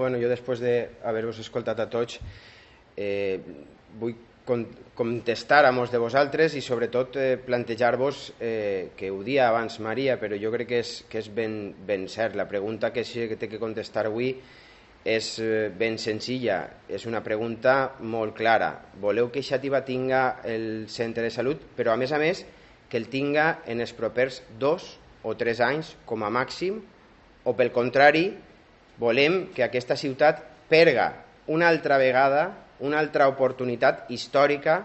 Bueno, jo després d'haver-vos escoltat a tots vull contestar a molts de vosaltres i sobretot plantejar-vos que ho dia abans Maria, però jo crec que és ben cert. La pregunta que té que contestar avui és ben senzilla, és una pregunta molt clara. Voleu que Xàtiva tinga el centre de salut, però a més que el tinga en els propers 2 o 3 anys com a màxim, o pel contrari volem que aquesta ciutat perga una altra vegada, una altra oportunitat històrica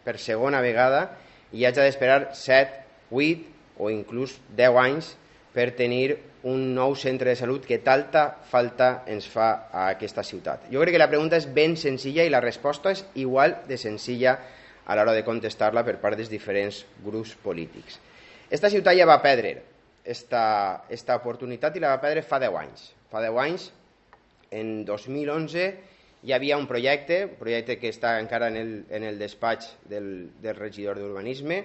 per segona vegada i hagi d'esperar 7, 8 o inclús 10 anys per tenir un nou centre de salut que tanta falta ens fa a aquesta ciutat. Jo crec que la pregunta és ben senzilla i la resposta és igual de senzilla a l'hora de contestar-la per part dels diferents grups polítics. Esta ciutat ja va perdre esta oportunitat i la va perdre fa 10 anys. Fa 10 anys, en 2011, hi havia un projecte que està encara en el despatx del regidor d'Urbanisme,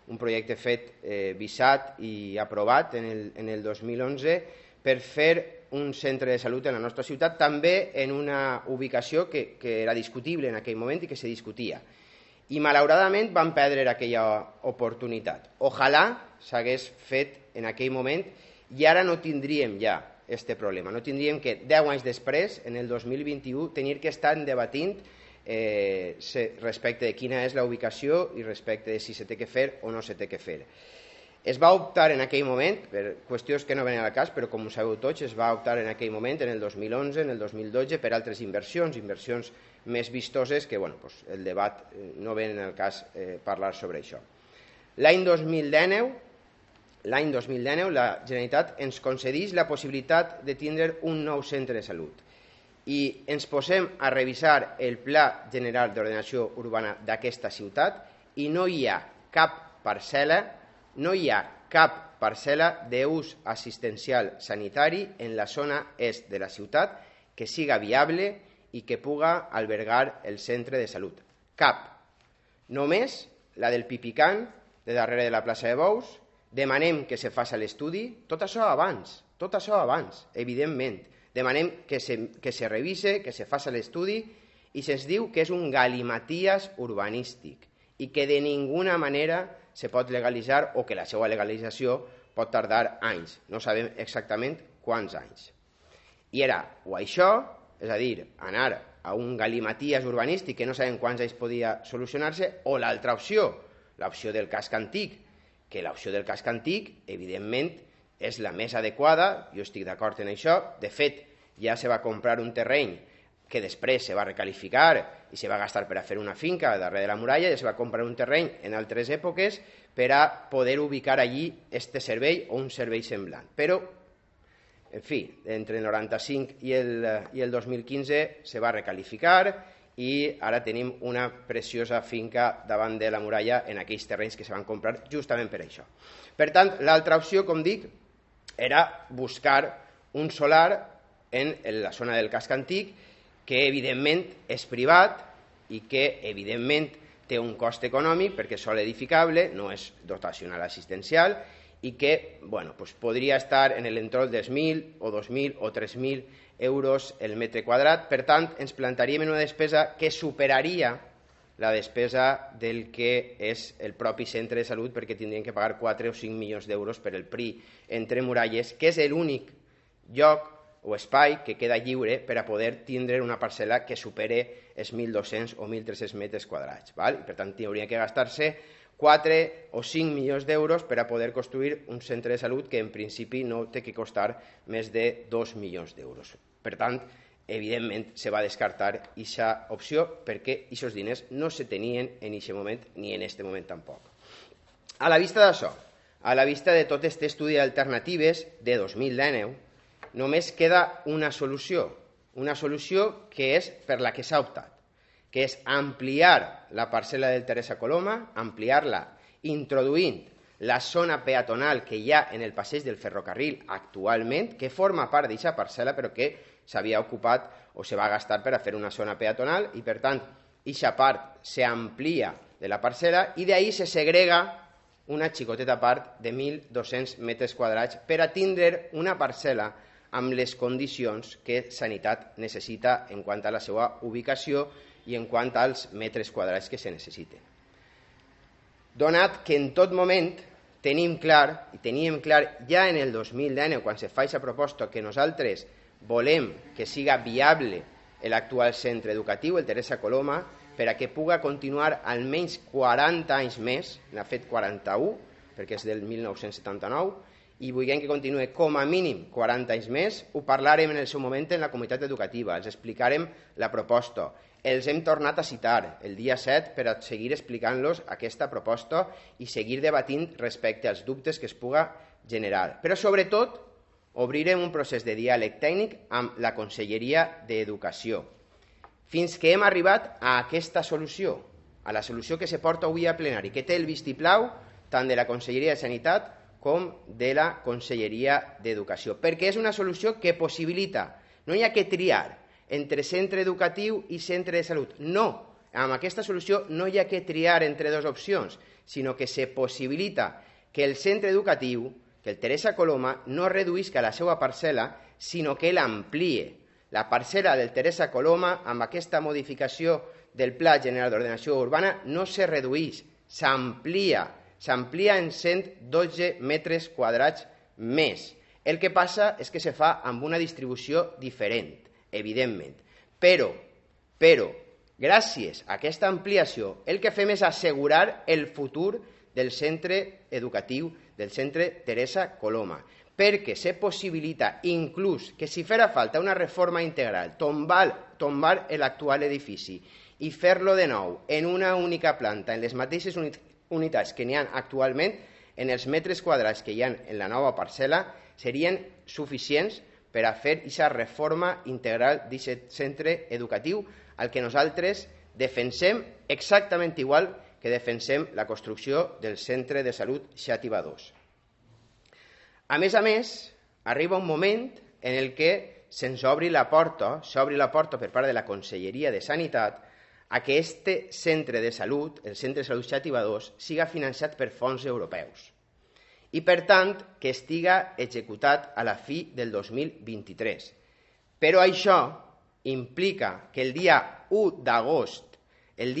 un projecte fet, visat i aprovat en el 2011 per fer un centre de salut en la nostra ciutat, també en una ubicació que era discutible en aquell moment i que se discutia. I malauradament van perdre aquella oportunitat. Ojalà s'hagués fet en aquell moment i ara no tindríem ja aquest problema. No tindríem que 10 anys després, en el 2021, tenir que estar debatint respecte de quina és la ubicació i respecte de si se té que fer o no se té que fer. Es va optar en aquell moment, per qüestions que no venen al cas, però com ho sabeu tots, es va optar en aquell moment, en el 2011, en el 2012, per altres inversions més vistoses que el debat no ven en el cas parlar sobre això. L'any 2019 la Generalitat ens concedeix la possibilitat de tindre un nou centre de salut i ens posem a revisar el Pla General d'Ordenació Urbana d'aquesta ciutat i no hi ha cap parcel·la d'ús assistencial sanitari en la zona est de la ciutat que siga viable i que puga albergar el centre de salut. Cap. Només la del Pipicant, de darrere de la plaça de Bous. Demanem que se faci l'estudi, tot això abans, evidentment. Demanem que se revise, que se faci l'estudi i se'ns diu que és un galimaties urbanístic i que de ninguna manera se pot legalitzar o que la seva legalització pot tardar anys. No sabem exactament quants anys. I era o això, és a dir, anar a un galimaties urbanístic que no sabem quants anys podia solucionar-se, o l'altra opció, l'opció del casc antic, que l'opció del casc antic, evidentment, és la més adequada, jo estic d'acord en això. De fet, ja se va comprar un terreny que després se va recalificar i se va gastar per a fer una finca darrere de la muralla, ja se va comprar un terreny en altres èpoques per a poder ubicar allí este servei o un servei semblant. Però, en fi, entre el 95 i el 2015 se va recalificar i ara tenim una preciosa finca davant de la muralla en aquells terrenys que se van comprar justament per això. Per tant, l'altra opció, com dic, era buscar un solar en la zona del casc antic que evidentment és privat i que evidentment té un cost econòmic perquè és sol edificable, no és dotacional assistencial i que podria estar en l'entorn dels 1.000 o 2.000 o 3.000 euros el metre quadrat. Per tant, ens plantaríem en una despesa que superaria la despesa del que és el propi centre de salut, perquè tindrien que pagar 4 o 5 milions d'euros per el PRI entre muralles, que és l'únic lloc o espai que queda lliure per a poder tindre una parcel·la que supere els 1.200 o 1.300 metres quadrats. Per tant, hauria que gastar-se 4 o 5 milions d'euros per a poder construir un centre de salut que en principi no té que costar més de 2 milions d'euros. Per tant, evidentment, se va descartar aquesta opció perquè aquests diners no se tenien en aquest moment ni en aquest moment tampoc. A la vista d'això, a la vista de tot aquest estudi d'alternatives de 2019, només queda una solució que és per la que s'ha optat, que és ampliar la parcel·la del Teresa Coloma, ampliar-la introduint la zona peatonal que hi ha en el passeig del ferrocarril actualment, que forma part d'aquesta parcel·la però que s'havia ocupat o se va gastar per a fer una zona peatonal i per tant aquesta part s'amplia de la parcel·la i d'ahí se segrega una xicoteta part de 1.200 metres quadrats per a tindre una parcel·la amb les condicions que Sanitat necessita en quant a la seva ubicació i en quant als metres quadrats que se necessiten. Donat que en tot moment teníem clar ja en el 2019, quan se fa aquesta proposta, que nosaltres volem que siga viable l'actual centre educatiu, el Teresa Coloma, per a que puga continuar almenys 40 anys més, n'ha fet 41, perquè és del 1979, i vulguem que continuï com a mínim 40 anys més, ho parlarem en el seu moment en la comunitat educativa, els explicarem la proposta. Els hem tornat a citar el dia 7 per a seguir explicant-los aquesta proposta i seguir debatint respecte als dubtes que es puga generar. Però, sobretot, obrirem un procés de diàleg tècnic amb la Conselleria d'Educació, fins que hem arribat a aquesta solució, a la solució que se porta avui a plenari, que té el vistiplau tant de la Conselleria de Sanitat com de la Conselleria d'Educació, perquè és una solució que possibilita, no hi ha que triar entre centre educatiu i centre de salut, no, amb aquesta solució no hi ha que triar entre dues opcions, sinó que se possibilita que el centre educatiu, que el Teresa Coloma, no reduïsca la seva parcel·la, sinó que l'amplie. La parcel·la del Teresa Coloma, amb aquesta modificació del Pla General d'Ordenació Urbana, no se reduïx, s'amplia en 112 metres quadrats més. El que passa és que se fa amb una distribució diferent, evidentment. Però, gràcies a aquesta ampliació, el que fem és assegurar el futur del centre educatiu, del centre Teresa Coloma, perquè se possibilita inclús que si farà falta una reforma integral, tombar l'actual edifici i fer-lo de nou en una única planta, en les mateixes unitats que n'hi ha actualment, en els metres quadrats que hi ha en la nova parcel·la, serien suficients per a fer aquesta reforma integral d'aquest centre educatiu, al que nosaltres defensem exactament igual que defensem la construcció del centre de salut Xàtiva 2. A més, arriba un moment en el que se'ns obri la porta per part de la Conselleria de Sanitat a que este centre de salut, el centre de salut Xàtiva 2, siga finançat per fons europeus i, per tant, que estiga executat a la fi del 2023. Però això implica que el dia 1 d'agost del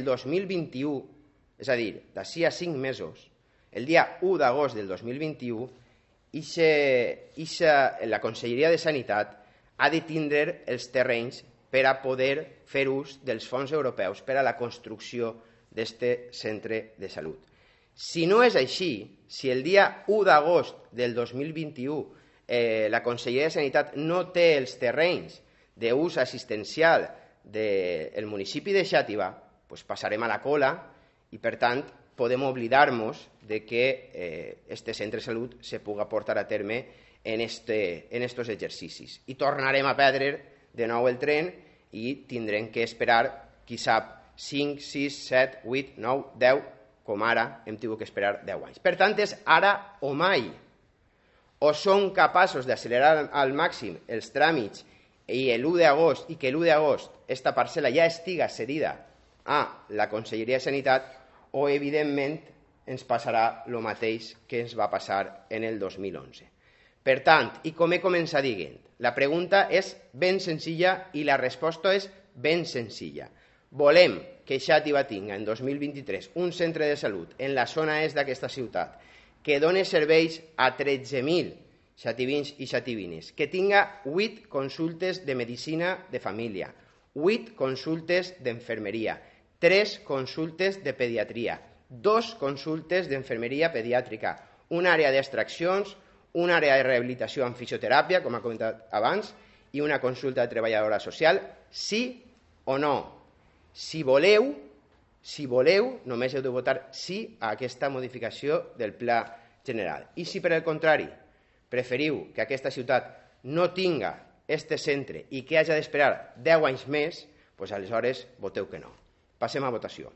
2021, és a dir, d'ací a 5 mesos, el dia 1 d'agost del 2021, la Conselleria de Sanitat ha de tindre els terrenys per a poder fer ús dels fons europeus per a la construcció d'aquest centre de salut. Si no és així, si el dia 1 d'agost del 2021 la Conselleria de Sanitat no té els terrenys d'ús assistencial del municipi de Xàtiva, doncs passarem a la cola i, per tant, podem oblidar-nos de que este centre de salut se puga portar a terme en estos exercicis. I tornarem a perdre de nou el tren i tindrem que esperar, qui sap, 5, 6, 7, 8, 9, 10, com ara hem tingut que esperar 10 anys. Per tant, és ara o mai. O són capaços d'accelerar al màxim els tràmits i que l'1 d'agost esta parcel·la ja estiga cedida a la Conselleria de Sanitat, o, evidentment, ens passarà el mateix que ens va passar en el 2011. Per tant, i com he començat dient, la pregunta és ben senzilla i la resposta és ben senzilla. Volem que Xàtiva tinga en 2023 un centre de salut en la zona est d'aquesta ciutat que doni serveis a 13.000 xativins i xativines, que tinga 8 consultes de medicina de família, 8 consultes d'enfermeria, 3 consultes de pediatria, 2 consultes d'enfermeria pediàtrica, una àrea d'extraccions, una àrea de rehabilitació amb fisioteràpia, com ha comentat abans, i una consulta de treballadora social, sí o no. Si voleu, només heu de votar sí a aquesta modificació del Pla General. I si, per el contrari, preferiu que aquesta ciutat no tinga este centre i que hagi d'esperar 10 anys més, doncs aleshores voteu que no. Passem a votació.